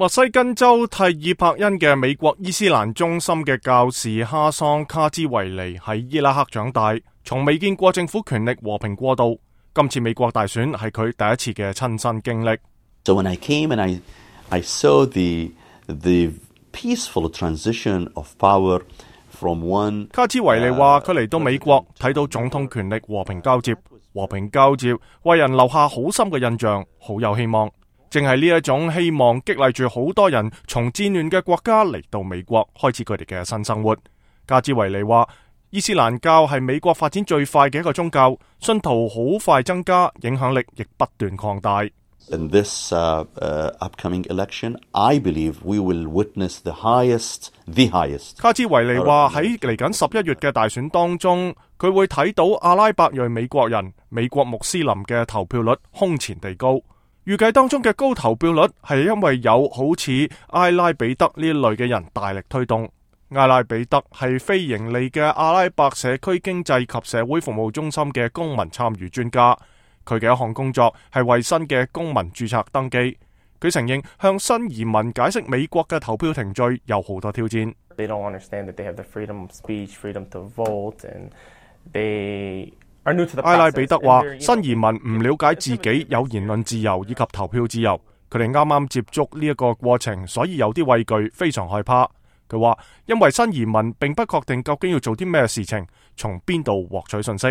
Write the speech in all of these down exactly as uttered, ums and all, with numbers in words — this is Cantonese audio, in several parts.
密西根州蒂爾伯恩嘅美國伊斯蘭中心嘅教士哈桑卡茲維尼喺伊拉克長大，從未見過政府權力和平過渡。今次美國大選係佢第一次嘅親身經歷。So when I came and I, I saw the, the peaceful transition of power from one， 卡茲維尼話佢嚟到美國睇到總統權力和平交接，和平交接為人留下好深嘅印象，好有希望。正係呢一種希望激勵住好多人從戰亂嘅國家嚟到美國，開始佢哋嘅新生活。卡茲維尼話，伊斯蘭教係美國發展最快嘅一個宗教，信徒好快增加，影響力亦不斷擴大。In this uh, uh, upcoming election, I believe we will witness the highest, the highest. 卡茲維尼話喺嚟緊十一月嘅大選當中，佢會睇到阿拉伯裔美國人、美國穆斯林嘅投票率空前地高。預計當中嘅高投票率係因為有好似埃拉比德呢類嘅人大力推動。埃拉比德係非盈利嘅阿拉伯社區經濟及社會服務中心嘅公民參與專家，佢嘅一項工作係為新嘅公民註冊登記。佢承認向新移民解釋美國嘅投票程序有好多挑戰。They don't understand that they have the freedom of speech, freedom to vote, and they埃拉比德話，新移民唔了解自己有言論自由以及投票自由，佢哋啱啱接觸呢一個過程，所以有啲畏懼，非常害怕。佢話，因為新移民並不確定究竟要做啲咩事情，從邊度獲取信息。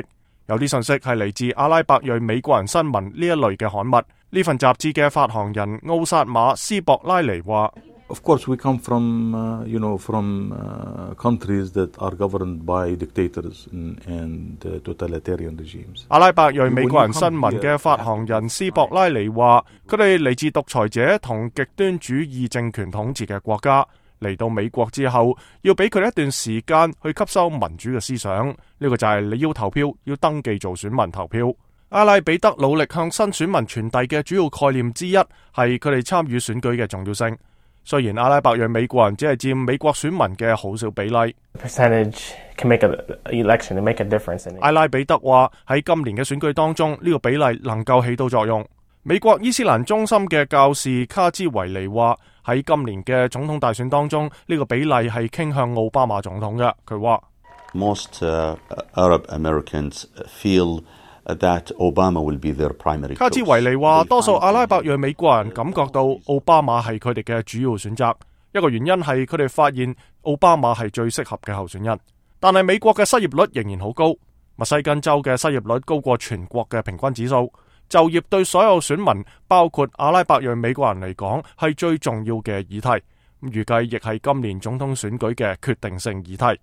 有啲信息係嚟自阿拉伯裔美國人新聞呢一類嘅刊物。呢份雜誌嘅發行人奧薩馬斯博拉尼話Of course, we come from, uh, you know, from uh, countries that are governed by dictators and, and uh, totalitarian regimes. 阿拉伯裔美國人新聞嘅發行人斯博拉尼話，佢哋嚟自獨裁者同極端主義政權統治嘅國家，嚟到美國之後，要俾佢哋一段時間去吸收民主嘅思想。呢、這個就係你要投票，要登記做選民投票。阿拉比德努力向新選民傳遞嘅主要概念之一係佢哋參與選舉嘅重要性。雖然阿拉伯裔美國人只係佔美國選民嘅好少比例，阿拉比德話喺今年嘅選舉當中，呢個比例能夠起到作用。美國伊斯蘭中心嘅教士卡茲維尼話喺今年嘅總統大選當中，呢個比例係傾向奧巴馬總統嘅。佢話 Most uh, Arab Americans feel that Obama will be their primary choice. 卡茲維尼話，多數阿拉伯裔美國人感覺到奧巴馬係佢哋嘅主要選擇，一個原因係佢哋發現奧巴馬係最適合嘅候選人。但係美國嘅失業率仍然好高，密西根州嘅失業率高過全國嘅平均指數。就業對所有選民，包括阿拉伯裔美國人嚟講，係最重要嘅議題。預計亦係今年總統選舉嘅決定性議題。